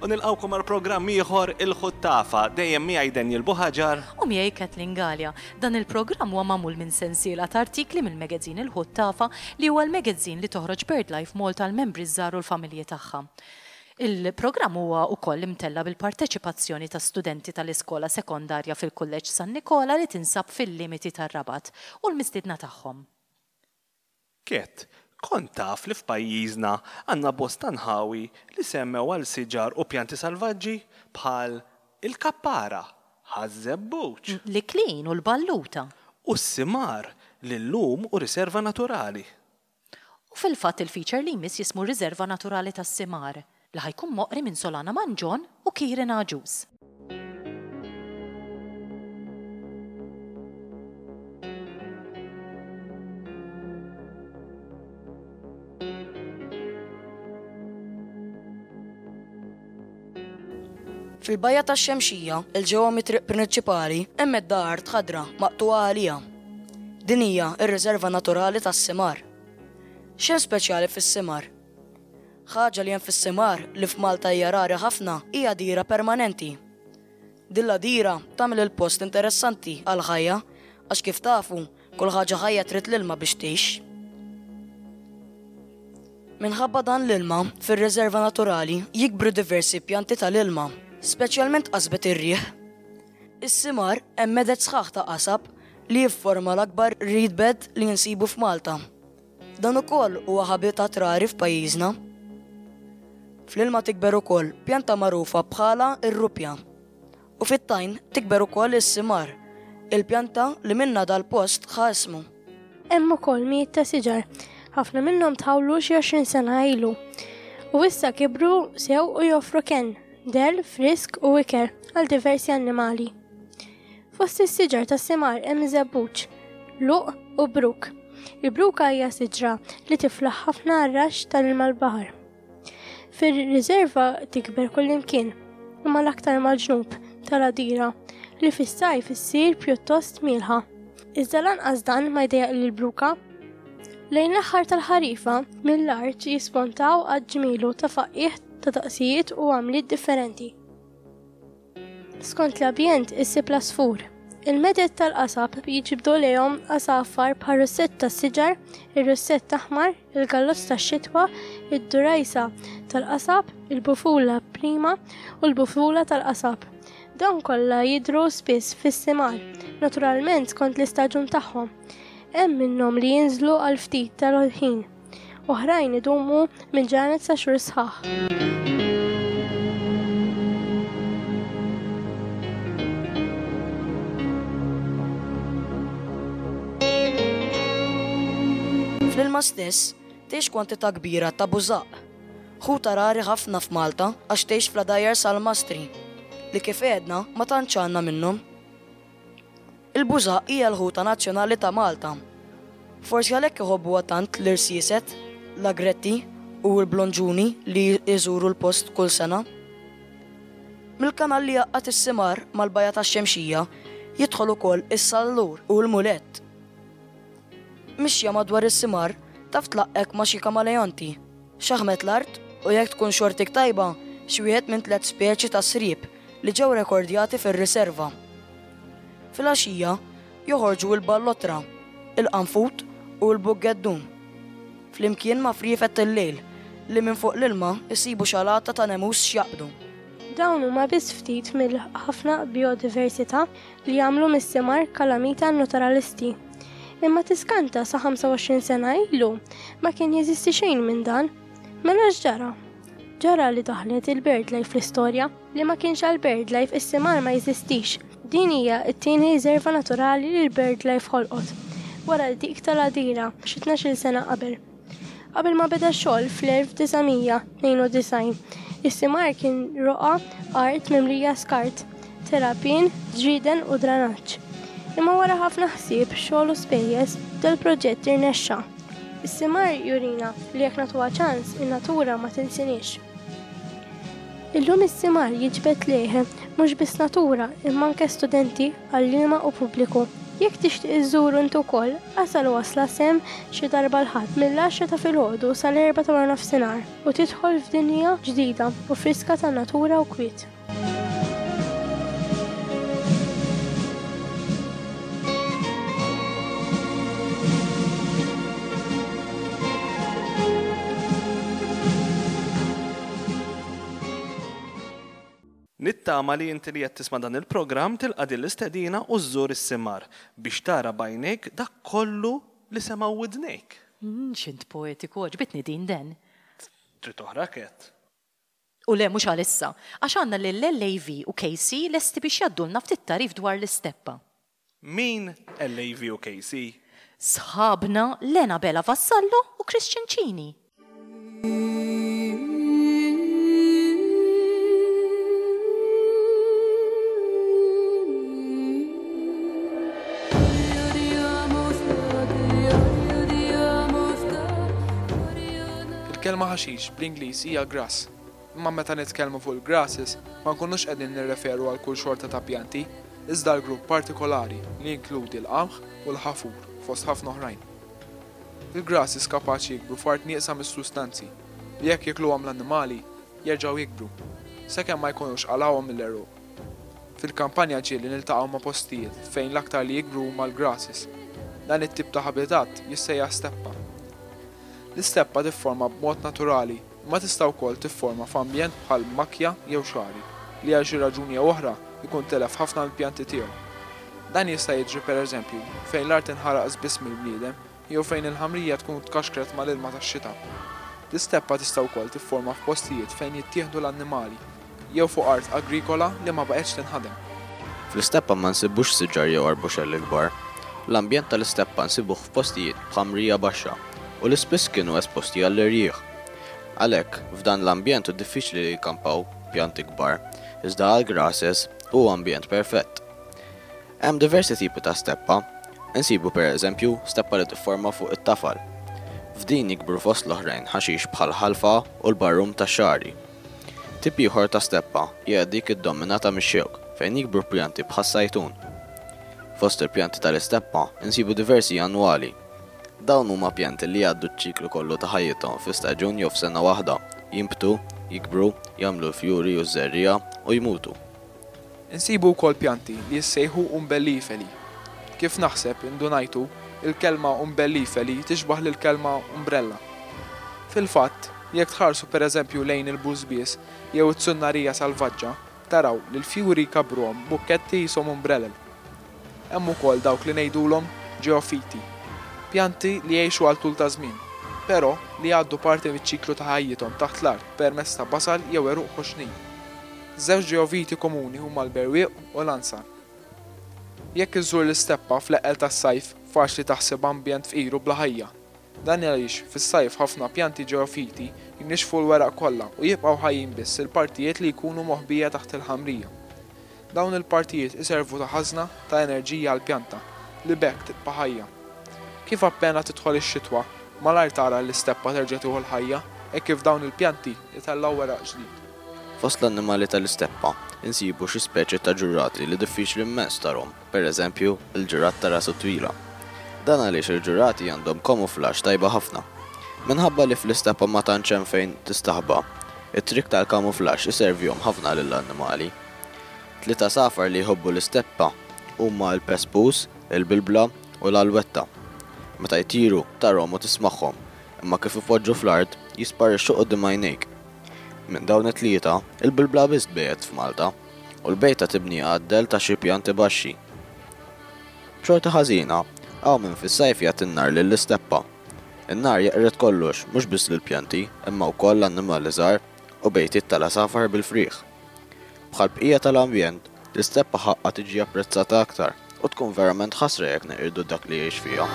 U nilqgħukom għal programm ieħor Il-Ħuttafa, dejjem miegħi Daniel Buhaġar. U miegħi Kathleen Galea. Dan il-programm huwa magħmul minn sensiela ta' artikli mill-magazine Il-Ħuttafa li huwa l-magazine li toħroġ BirdLife Malta għall-membri ż-żgħar u l-familji tagħha. Il-programm huwa wkoll imtella' bil-parteċipazzjoni ta' studenti tal-iskola sekondarja fil-Kulleġġ San Nikola li tinsab fil-limiti tar-Rabat u l-mistiedna tagħhom. Ket, kont taf li f'pajjiżna għandna bosta nħawi li semmew għal siġar u pjanti salvaġġi bħal il-kappara, Ħaż-Żebbuġ. L-Iklin u l-Balluta. U s-Simar li llum hu riserva naturali. U fil-fatt il-feature li jmiss jismu Riserva Naturali tas-Simar li ħa jkun moqri minn Solana Mangion u Kieran Agius. Fil-bajja tax-Xemxija, 'il ġewwa mit-triq prinċipali, hemm medda art ħadra maqtugħa għaliha. Din hija r-riserva naturali tas-Simar. X'hemm speċjali fis-Simar? Ħaġa li hemm fis-Simar li f'Malta hija rari ħafna hi għadira permanenti. Din l-għadira tagħmel il-post interessanti għall-ħajja għax kif tafu, kull ħaġa ħajja trid l-ilma biex tgħix. Minħabba dan l-ilma, fir-riserva naturali jikbru diversi pjanti tal-ilma, speċjalment qasbet ir-riħ. Is-Simar hemm meded sħaħ ta' qasab li jifforma l-akbar reed bed li nsibu f'Malta. Dan ukoll huwa ħabitat rari f'pajjiżna. Fl-ilma tikber ukoll pjanta magħrufa bħala r-ruppja. U fit-tajn tikber ukoll is-simar, il-pjanta li minnha dal-post ħa ismu. Hemm ukoll mijiet ta' siġar, ħafna minnhom tħawlu xi 20 sena ilu. U issa kibru sew u joffru kenn, dell, frisk u ikel għal diversi annimali. Fost is-siġar tas-simar hemm żebbuġ, luq u bruk. Il-bruka hija siġra li tiflaħ ħafna għar-raxx tal-ilma l-baħar. Fir-riserva tikber kullimkien, imma l-aktar mal-ġnub tal-għadira li fis-sajf issir pjuttost mielħa. Iżda lanqas dan ma jdejjaq lill-bruka. Lejn l-aħħar tal-ħarifa, mill-art jispontaw għadd ġmielu ta' faqqiegħ ta' daqsijiet u għamliet differenti. Skont l-ambjent issib l-għasfur. Il-meded tal-qasab jiġbdu lejhom għasafar bħar-russett tas-siġar, ir-russett aħmar, il-gallozz tax-xitwa, id-durajsa tal-qasab, il-bufula prima u l-bufula tal-qasab. Dawn kollha jidhru spiss fis-simar, naturalment skont l-istaġun tagħhom. Hemm minnhom li jinżlu għal ftit tal-ħin. Oħrajn idumu minn ġranet sa xhur sħaħ. Fl-ilma stess tgħix kwantità kbira ta' bużaqq, ħuta rari ħafna f'Malta għax tgħix fl-għadajjar salmastri, li kif għedna ma tantx għandna minnhom. Il-bużaqq hija l-ħuta nazzjonali ta' Malta. Forsi għalhekk iħobbuha tant l-irsieset, l-agretti u l-blonġuni li jżuru l-post kull sena. Mill-kanal li jgħaqqad is-Simar mal-Bajja tax-Xemxija jidħol ukoll is-sallur u l-mulett. Mixja madwar is-Simar taf tlaqqgħek ma' xi kamaleonti, xaħmet l-art u jekk tkun xortik tajba xi wieħed minn tlett speċi ta' sriep li ġew rekordjati fir-riserva. Filgħaxija joħorġu l-ballottra, il-qanfud u l-buggeddun, flimkien ma' friefet il-lejl li minn fuq l-ilma jsibu xalata ta' nemus x'jaqbdu. Dawn huma biss ftit mill-ħafna bijodiversità li jagħmlu mis-simar kalamita għan-naturalisti. Imma tiskanta sa 25 sena ilu ma kien jeżisti xejn minn dan. Mela x'ġara? Ġara li daħlet il-BirdLife fl-istorja. Li ma kienx għal BirdLife is-simar ma jeżistix. Din hija t-tieni riserva naturali li l-BirdLife ħolqot, wara dik tal-Għadira xi tnax-il sena qabel. Qabel ma beda x-xogħol fl-1992, is-simar kien roqgħa art mimlija skart, terrapien, ġrieden u dranaġġ. Imma wara ħafna ħsieb, xogħol u spejjeż, dal-proġett irnexxa. Is-simar jurina li jekk nagħtuha ċans, in-natura ma tinsiniex. Illum is-simar jiġbed lejh mhux biss natura imma anke studenti, għalliema u pubbliku. Jekk tixtieq iżżuru int ukoll, asal wasla s'hemm xi darba l-Ħadd mill-għaxra ta' filgħodu sal-erbgħa ta' waranofsinhar u tidħol f'dinja ġdida u friska ta' natura u kwiet. Nittama li inti li qed tisma' dan il-programm tilqa' din l-istedina u żżur is-Simar biex tara b'għajnejk dak kollu li semgħu widnejk. X'int poetiku, għoġbitni din Dan. Trid oħra Kat? U le mhux għalissa, għax għandna lil LAV u KC lesti biex jgħaddulna ftit tagħrif dwar l-isteppa. Min LAV u KC? Sħabna Lena Bela Vassallo u Christian Cini. Il-kelma ħaxix bl-Ingliż hija grass. Imma meta nitkellmu fuq il-grasses ma nkunux qegħdin nirreferu għal kull xorta ta' pjanti, iżda għal grupp partikolari li jinkludi l-qamħ u l-ħafur fost ħafna oħrajn. Il-grasses kapaċi jikbru f'art nieqsa mis-sustanzi li jekk jikluhom l-annimali jerġgħu jikbru, sakemm ma jkunux qalgħuhom mill-għeruq. Fil-kampanja ġieli niltaqgħu ma' postijiet fejn l-aktar li jikbru huma l-grasses. Dan it-tip ta' ħabitat jissejjaħ steppa. L-isteppa tifforma b'mod naturali imma tista' wkoll tifforma f'ambjent bħal makkja jew xagħri li għal xi raġuni jew oħra jkun telef ħafna mill-pjanti tiegħu. Dan jista' jiġri pereżempju fejn l-art inħaraq żbiss mill-bniedem jew fejn il-ħamrija tkun tkaxkret mal-ilma tax-xita. L-isteppa tista' wkoll tifforma f'postijiet fejn jittieħdu l-annimali jew fuq art agrikola li ma baqgħetx tinħadem. Fl-isteppa ma nsibux siġar jew arbuxelli kbar. L-ambjent tal-isteppa nsibuh f'postijiet b'ħamrija baxxa u li spiss kienu esposti għall-irjieħ. Għalhekk, f'dan l-ambjent hu diffiċli li jkampaw pjanti kbar, iżda għall-grasses hu ambjent perfett. Hemm diversi tipi ta' steppa. Insibu per eżempju steppa li tifforma fuq it-tafal. F'din jikbru fost l-oħrajn ħaxix bħall-ħalfa u l-barrum tax-xagħri. Tip ieħor ta' steppa hija dik iddominata mix-xewk fejn jikbru pjanti bħas-sajtun. Fost il-pjanti tal-isteppa insibu diversi annwali. Dawn huma pjanti li jgħaddu ċ-ċiklu kollu ta' ħajjithom fi staġun jew f'sena waħda, jinbtu, jikbru, jagħmlu l-fjuri u ż-żerriegħa u jmutu. Insibu wkoll pjanti li jissejħu umbelliferi. Kif naħseb indunajtu, il-kelma umbelliferi tixbah lill-kelma umbrella. Fil-fatt, jekk tħarsu pereżempju lejn il-bużbież jew it-tsunnarija salvaġġa, taraw li l-fjuri jkabbruhom bukketti qishom umbrelel. Hemm ukoll dawk li ngħidulhom ġeofiti, pjanti li jgħixu għal tul ta' żmien, però li jgħaddu parti miċ-ċiklu ta' ħajjithom taħt l-art permezz ta' basal jew għeruq ħoxnin. Żewġ ġeoviti komuni huma l-berwieq u l-ansar. Jekk iżżur l-isteppa fl-eqqel tas-sajf faċli taħsibha ambjent fqir u bla ħajja. Dan għaliex fis-sajf ħafna pjanti ġeofiti jnixxfu l-weraq kollha u jibqgħu ħajjin biss il-partijiet li jkunu moħbija taħt il-ħamrija. Dawn il-partijiet iservu ta' ħażna ta' enerġija għall-pjanta, li b'hekk tibqa' ħajja. Kif appena tidħol ix-xitwa, malajr tara l-isteppa terġa' tieħu l-ħajja hekk kif dawn il-pjanti jtellgħu weraq ġdid. Fost l-annimali tal-isteppa, insibu xi speċi ta' ġurrati li diffiċli immens tarhom, pereżempju, il-ġurrat ta' rasu twila. Dan għaliex il-ġurrati għandhom kamuflaġġ tajba ħafna. Minħabba li fl-isteppa ma tantx hemm fejn tistaħba, it-trikk tal-kamuflaġġ iservihom ħafna lill-annimali. Tliet għasafar li jħobbu l-isteppa huma l-pespus, il-bilbla u l-alwetta. Meta jtiru, tarhom u tismagħhom, imma kif ipoġġu fl-art, jisparixxu quddiem għajnejk. Minn dawn it-tlieta, il-bilbla biss tbejjet f'Malta, u l-bejta tibniha għad-dell ta' xi pjanti baxxi. B'xorti ħażina, hawn min fis-sajf jagħti n-nar lill-isteppa. In-nar jeqred kollox, mhux biss lill-pjanti, imma wkoll l-annimali żgħar u bejtiet tal-għasafar bil-frieħ. Bħall-bqija tal-ambjent, l-isteppa ħaqqha tiġi apprezzata aktar u tkun verament ħasra jekk neqirdu dak li jgħix fiha.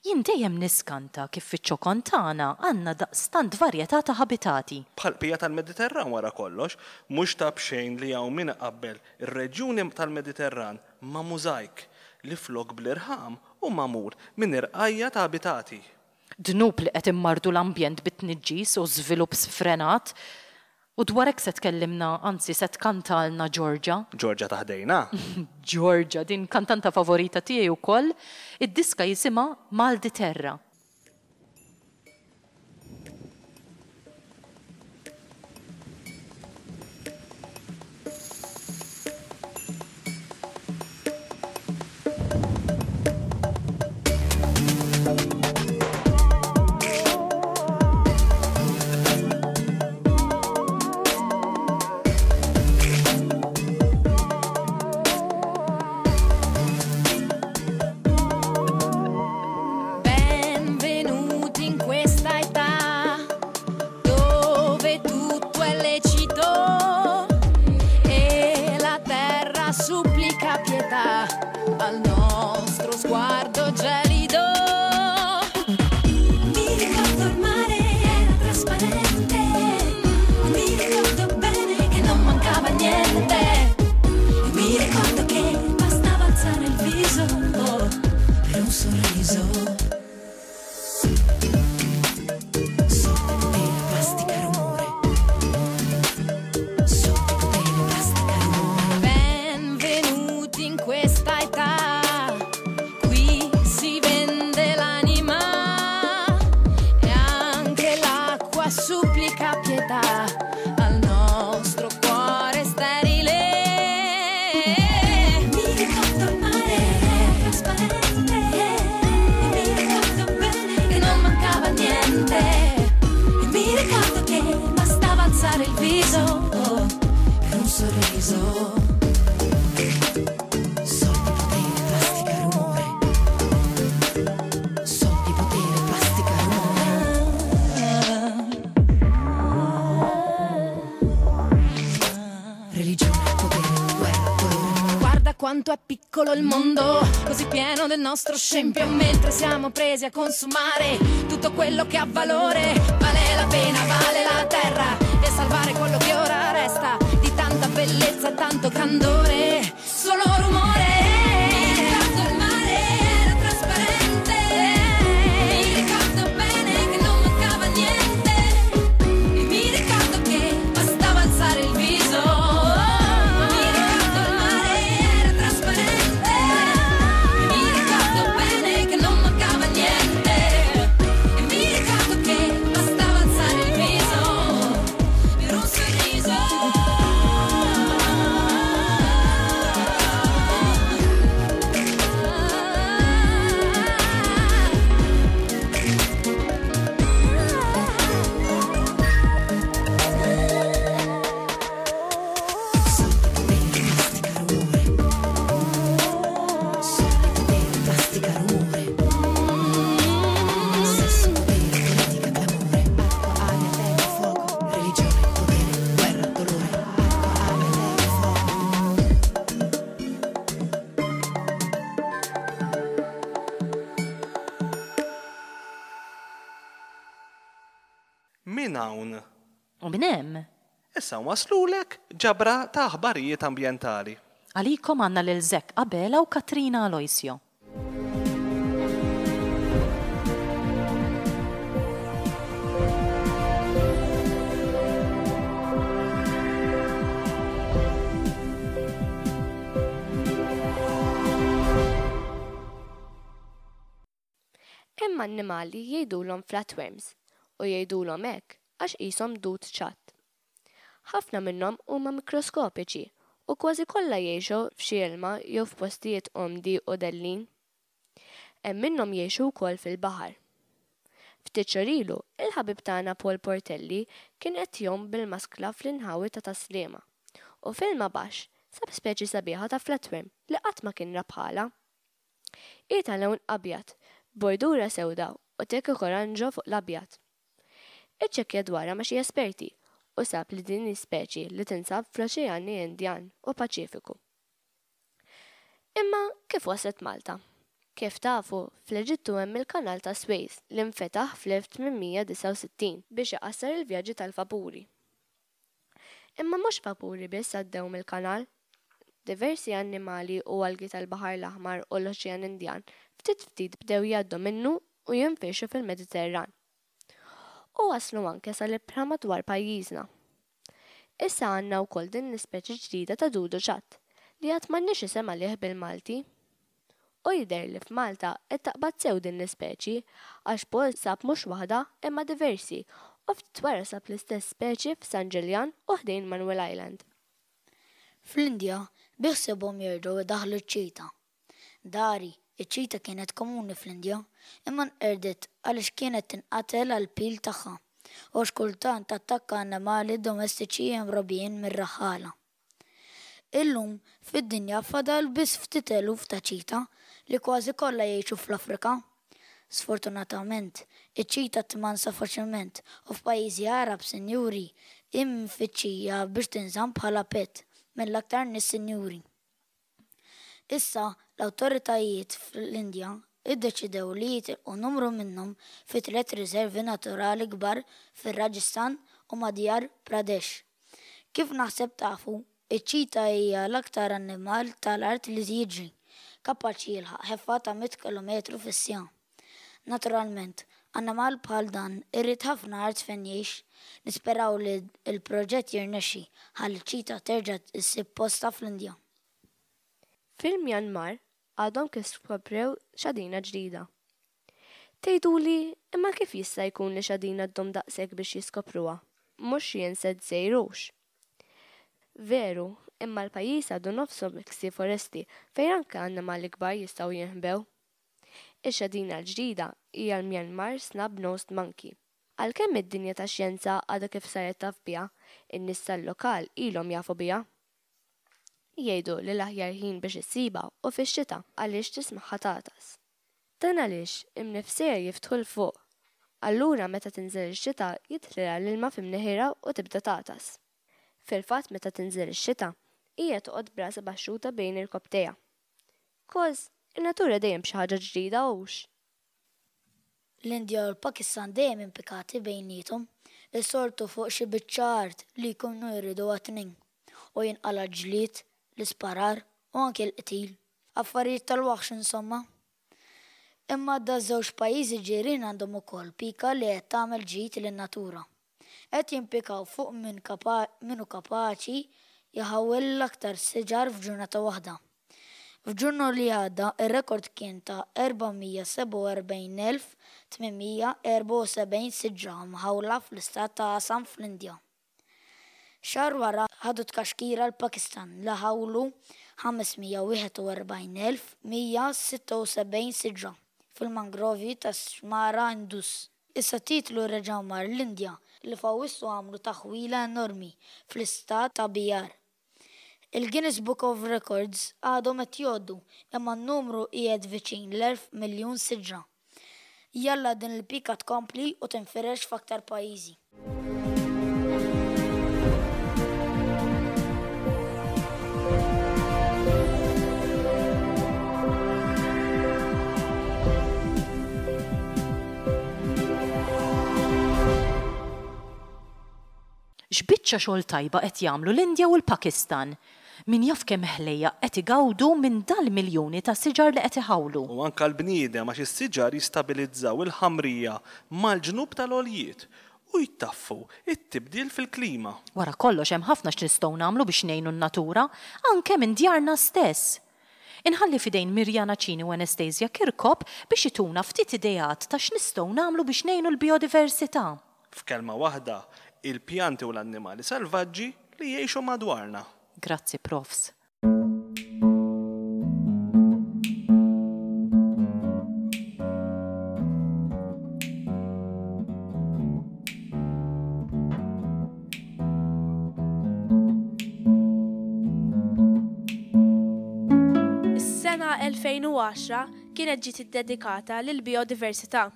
Jien dejjem niskanta kif fiċ-ċokon tagħna għandna daqstant varjetà ta' ħabitati. Bħall-bqija tal-Mediterran wara kollox, mhux ta' b'xejn li hawn min iqabbel ir-reġjuni tal-Mediterran ma' mużajk li flok bl-irħam. Hu magħmul minn irqajja' ta' abitati. Dnub li qed immarrdu l-ambjent bit-tniġġis u żvilupp sfrenat. U dwar hekk se tkellimna, anzi se tkantalna Georgia. Georgia ta' ħdejna? Georgia, din kantanta favorita tiegħi wkoll. Id-diska jisimha Mal di Terra. Benvenuti in questa età dove tutto è lecito e la terra supplica pietà al nostro sguardo gelido. Mi ricordo il mare era trasparente, mi ricordo bene che non mancava niente, mi ricordo che bastava alzare il viso per un sorriso. Soldi, potere, plastica, rumore. Soldi, potere, plastica, rumore. Benvenuti in questa età. Qui si vende l'anima e anche l'acqua supplica pietà al nostro cuore sterile. Mi ricordo il mare era trasparente, mi ricordo bene che non mancava niente. E mi ricordo che bastava alzare il viso per un sorriso. Soldi, potere, plastica, rumore. Soldi, potere, plastica, rumore. Religione, potere, guerra, dolore. Guarda quanto è piccolo il mondo, così pieno del nostro scempio, mentre siamo presi a consumare tutto quello che ha valore. Vale la pena, vale la terra e salvare quello che ora resta di tanta bellezza e tanto candore. Solo rumore. Mi ricordo il mare era trasparente, mi ricordo bene che non mancava niente. E mi ricordo che bastava alzare il viso. Mi ricordo il mare era trasparente. E mi ricordo bene che non mancava niente. E mi ricordo che bastava alzare il viso per un sorriso. Soldi, potere, plastica, rumore. Soldi, potere, plastica, rumore. Sesso, potere, politica, clamore. Acqua, aria, terra, fuoco. Religione, potere, guerra, dolore. Acqua, aria, terra, fuoco. Min hawn? U minn hemm? Issa waslulek ġabra ta' aħbarijiet ambjentali. Għalikom għandna lil Zack Abela u Katrina Aloisio. Hemm annimali jgħidulhom flatworms u jgħidulhom hekk għax qishom dud ċatt. Ħafna minnhom huma mikroskopiċi u kważi kollha jgħixu f'xi ilma jew f'postijiet umdi u dellin. Hemm minnhom jgħixu wkoll fil-baħar. Ftit xhur ilu, il-ħabib tagħna Paul Portelli kien qed jgħum bil-maskla fl-inħawi ta' Tas-Sliema u f'ilma baxx sab speċi sabiħa ta' flatworm li qatt ma kien ra bħalha. Hi ta' lewn abjad, b'bordura sewda u tekok oranġo fuq l-abjad. Iċċekkja dwarha ma' xi esperti u sab li din hi speċi li tinsab fl-Oċeani Indjan u Paċifiku. Imma kif waslet Malta? Kif tafu, fl-Eġittu hemm il-Kanal ta' Swejz li nfetaħ fl-1869 biex iqassar il-vjaġġi tal-vapuri. Imma mhux vapuri biss għaddew mill-kanal. Diversi annimali u algi tal-Baħar l-Aħmar u l-Oċean Indjan ftit ftit bdew jgħaddu minnu u jinfirxu fil-Mediterran. U waslu anke sal-ibħra madwar pajjiżna. Issa għandna wkoll din l-ispeċi ġdida ta' dudu ċatt, li għad m'għandniex isem għalih bil-Malti. U jidher li f'Malta qed taqbad sew din l-ispeċi, għax Paul sab mhux waħda imma diversi u ftit wara sab l-istess speċi f'San Ġiljan u ħdejn Manuel Island. Fl-Indja biħsiebhom jerġgħu jdaħħlu ċ-ċita. Dari, iċ-ċita kienet komuni fl-Indja, imma nqerdet għaliex kienet tinqatel għall-pil tagħha u għax kultant tattakka annimali domestiċi mrobbijin mir-raħħala. Illum, fid-dinja fadal biss ftit eluf ta' ċita li kważi kollha jgħixu fl-Afrika. Sfortunatament, iċ-ċita tmansa faċilment u f'pajjiżi Għarab sinjuri hi mfittxija biex tinżamm bħala pet mill-aktar nies sinjuri. Issa, l-awtoritajiet fl-Indja ddeċidew li jitilqu numru minnhom fi tlett riservi naturali kbar fir-Rajasthan u Madhya Pradesh. Kif naħseb tafu, iċ-ċita hija l-aktar annimal tal-art li jiġri, kapaċi jilħaq ħeffa ta' mitt kilometru fis-siegħa. Naturalment, annimal bħal dan irid ħafna art fejn jgħix. Nisperaw li l-proġett jirnexxi ħalli ċ-ċita terġa' ssib postha fl-Indja. Fil-Myanmar għadhom kif skoprew xadina ġdida. Tgħiduli, imma kif jista' jkun li xadina ddum daqshekk biex jiskopruha? Mhux xi insett żgħir hux? Veru, imma l-pajjiż għadu nofsu miksi foresti fejn anke annimali kbar jistgħu jinħbew. Ix-xadina l-ġdida hija l-Myanmar Snub-Nosed Monkey. Għalkemm id-dinja tax-xjenza għadha kif saret taf biha, in-nies tal-lokal ilhom jafu biha. Jgħidu li l-aħjar ħin biex issibha hu fix-xita għaliex tismagħha tagħtas. Dan għaliex imnifsejha jiftħu 'l fuq. Allura meta tinżel ix-xita jidħlilha l-ilma fi mneħirha u tibda tagħtas. Fil-fatt meta tinżel ix-xita, hija toqgħod b'rasha baxxuta bejn irkopptejha. Koz, in-natura dejjem b'xi ħaġa ġdida hux? L-Indja u l-Pakistan dejjem impikati bejniethom, is-soltu fuq xi biċċa art li jkunu jridu għat-tnejn, u jinqala' ġlied, l-isparar u anki l-qtil. Affarijiet tal-waħx insomma. Imma daż-żewġ pajjiżi ġirien għandhom ukoll pika li qed tagħmel ġid lin-natura. Qed jimpikaw fuq min min hu kapaċi jħawwel l-aktar siġar f'ġurnata waħda. F'Ġunju li għadda r-rekord kien ta' 447,874 siġra mħawla fl-istat ta' Assam fl-Indja. Xahar wara ħadu tkaxkira l-Pakistan li ħawlu 541,176 siġra fil-mangrovji tax-xmara Indus. Issa t-titlu reġa' mar l-Indja li f'Awwissu għamlu taħwila enormi fl-istat ta' Bihar. Il-Guinness Book of Records għadhom qed jgħoddu imma n-numru qiegħed viċin l-1000 miljun siġra. Jalla din il-pika tkompli u tinfirex f'aktar pajjiżi. X'biċċa xogħol tajba qed jagħmlu l-Indja u l-Pakistan! Min jaf kemm ħlejjaq qed igawdu minn dal-miljuni ta' siġar li qed iħawlu. U anke l-bniedem għax is-siġar jistabilizzaw il-ħamrija mal-ġnub tal-għoljiet u jtaffu t-tibdil fil-klima. Wara kollox hemm ħafna x'nistgħu nagħmlu biex ngħinu n-natura, anke minn djarna stess. Inħalli f'idejn Mirjana Cini u Anastasia Kirkop biex ituna ftit ideat ta' x'nistgħu nagħmlu biex ngħinu l-bijodiversità. F'kelma waħda, il-pjanti u l-annimali salvaġġi li jgħixu madwarna. Grazzi Profs. Is-sena 2010 kienet ġiet iddedikata lill-bijodiversità.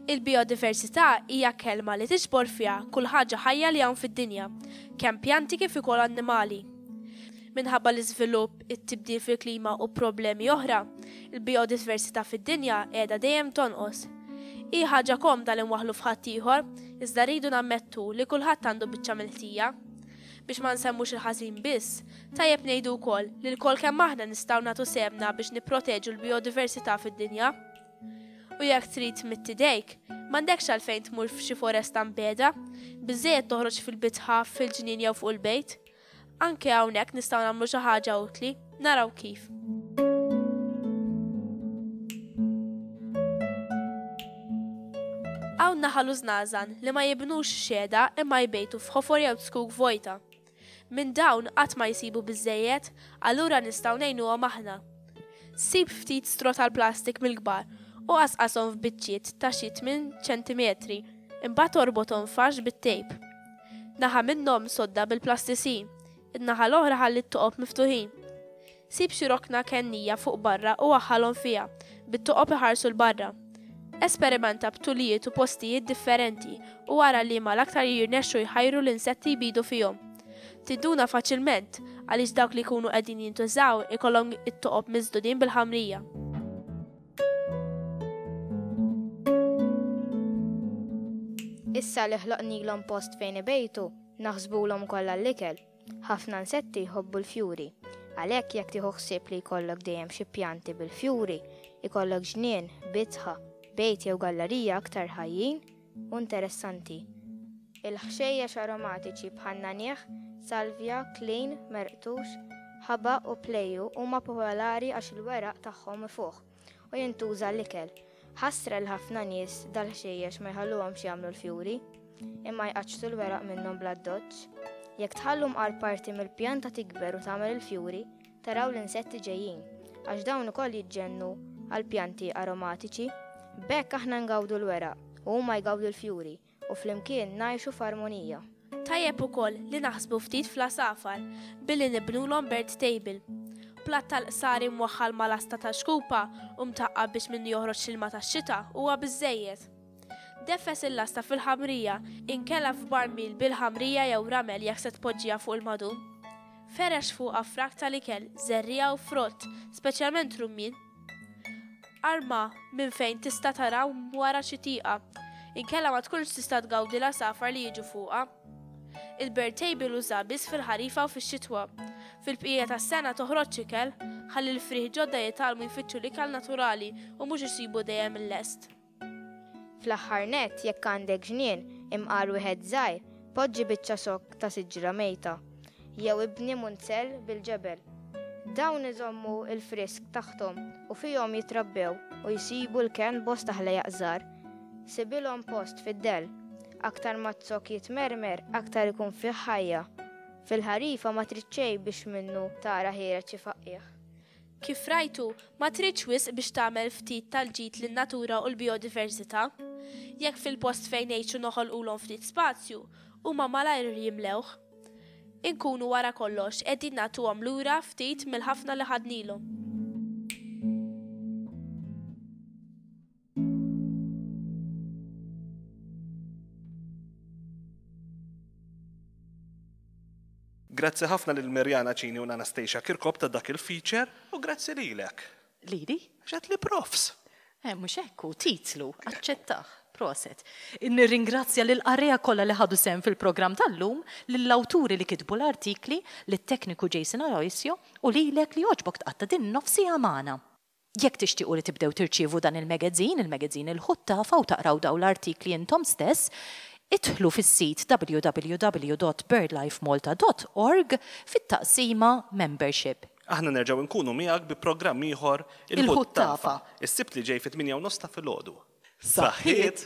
Il-bijodiversità hija kelma li tiġbor fiha kull ħaġa ħajja li hawn fid-dinja, kemm pjanti kif ukoll annimali. Minħabba l-iżvilupp, it-tibdil fil-klima u problemi oħra, il-bijodiversità fid-dinja qiegħda dejjem tonqos. Hi ħaġa komda li nwaħħlu f'ħaddieħor, iżda rridu nammettu li kulħadd għandu biċċa mill-ħtija. Biex ma nsemmux il-ħażin biss, tajjeb ngħidu wkoll li lkoll kemm aħna nistgħu nagħtu sehemna biex nipproteġu l-bijodiversità fid-dinja. U jekk trid tmidd idejk, m'għandekx għalfejn tmur f'xi foresta mbiegħda, biżżejjed toħroġ fil-bitħa, fil-ġnien jew fuq il-bejt. Anke hawnhekk nistgħu nagħmlu xi ħaġa utli, naraw kif. Hawn naħal u żnażan li ma jibnux xehda imma jbejtu f'ħofor jew zkuk vojta. Minn dawn qatt ma jsibu biżżejjed, allura nistgħu ngħinuhom aħna. Sib ftit stro tal-plastik mill-kbar u qasqashom f'biċċiet ta' xi tminn ċentimetri, imbagħad orbothom f'għax bit-tejp. Naħa minnhom sodda bil-plastisin, in-naħa l-oħra ħalli t-toqob miftuħin. Sib xi rokna kennija fuq barra u waħħalhom fiha, bit-toqob iħarsu 'l barra. Esperimenta b'tulijiet u postijiet differenti u ara liema l-aktar jirnexxu jħajru l-insetti jbidu fihom. Tinduna faċilment għaliex dawk li jkunu qegħdin jintużaw ikollhom it-toqob miżdudin bil-ħamrija. Issa li ħloqnilhom post fejn ibejtu, naħsbulhom ukoll għall-ikel. Ħafna insetti jħobbu l-fjuri. Għalhekk jekk tieħu ħsieb li jkollok dejjem xi pjanti bil-fjuri, ikollok ġnien, bitħa, bejt jew gallarija aktar ħajjin u interessanti. Il-ħxejjex aromatiċi bħan-nagħniegħ, salvja, klin, merqtux, ħabaq u plejju huma popolari għax il-weraq tagħhom ifuħ u jintuża għall-ikel. Ħasra li ħafna nies dal-ħxejjex ma jħalluhomx jagħmlu l-fjuri, imma jqaċċtu l-weraq minnhom bl-addoċċ. Jekk tħallu mqar parti mill-pjanta tikber u tagħmel il-fjuri, taraw l-insetti ġejjin, għax dawn ukoll jiġġennu għall-pjanti aromatiċi. B'hekk aħna ngawdu l-weraq u huma jgawdu l-fjuri. u flimkien ngħixu f'armonija. Tajjeb ukoll li naħsbu ftit fl-għasafar billi nibnulhom bird table. Platt tal-qsari mwaħħal ma' lasta ta' xkupa u mtaqqab biex minnu joħroġ l-ilma tax-xita huwa biżżejjed. Deffes il-lasta fil-ħamrija inkella f'barmil bil-ħamrija jew ramel jekk se tpoġġiha fuq il-madum. Ferrex fuqha frak tal-ikel, żerriegħa u frott, speċjalment rummien. Arma minn fejn tista' tara wara xi tieqa, inkella ma tkunx tista' tgawdi l-għasafar li jiġu fuqha. Il-bird table uża biss fil-ħarifa u fix-xitwa. Fil-bqija tas-sena toħroġx ikel, ħalli l-frieħ ġodda jitgħallmu jfittxu l-ikel naturali u mhux isibu dejjem il-lest. Fl-aħħar nett, jekk għandek ġnien, imqar wieħed żgħir, poġġi biċċa zokk ta' siġra mejta, jew ibni munzell bil-ġebel. Dawn iżommu l-frisk taħthom u fihom jitrabbew u jsibu l-kenn bosta ħlejjaq żgħar. Sibilhom post fid-dell. Aktar ma z-zokk jitmermer, aktar ikun fih ħajja. Fil-ħarifa ma trid xejn biex minnu tara ħiereġ xi faqqiegħ. Kif rajtu, ma tridx wisq biex tagħmel ftit tal-ġid lin-natura u l-bijodiversità. Jekk fil-post fejn ngħixu noħolqulhom ftit spazju, huma malajr jimlewh. Inkunu wara kollox qegħdin nagħtuhom lura ftit mill-ħafna li ħadnilhom. Grazzi ħafna lil Mirjana Cini u Anastasia Kirkop ta' dak il-feature u grazzi lilek. Lili? Għax għedtli profs. Eh, mhux hekk hu, titlu, aċċettah. Proset. Nirringrazzja lill-qarrejja kollha li ħadu sehem fil-programm tal-lum, lill-awturi li kitbu l-artikli, lit-tekniku Jason Aloisio u lilek li għoġbok tqatta' din in-nofs siegħa magħna. Jekk tixtiequ li tibdew tirċievu dan il-magazine, il-magazine Il-Ħuttafa u taqraw dawn l-artikli intom stess, idħlu fis-sit www.birdlifemalta.org fit-taqsima Membership. Aħna nerġgħu nkunu miegħek bi programm ieħor Il-Ħuttafa. Is-Sibt li ġej fit-8 u nofs ta' filgħodu. Saħħiet!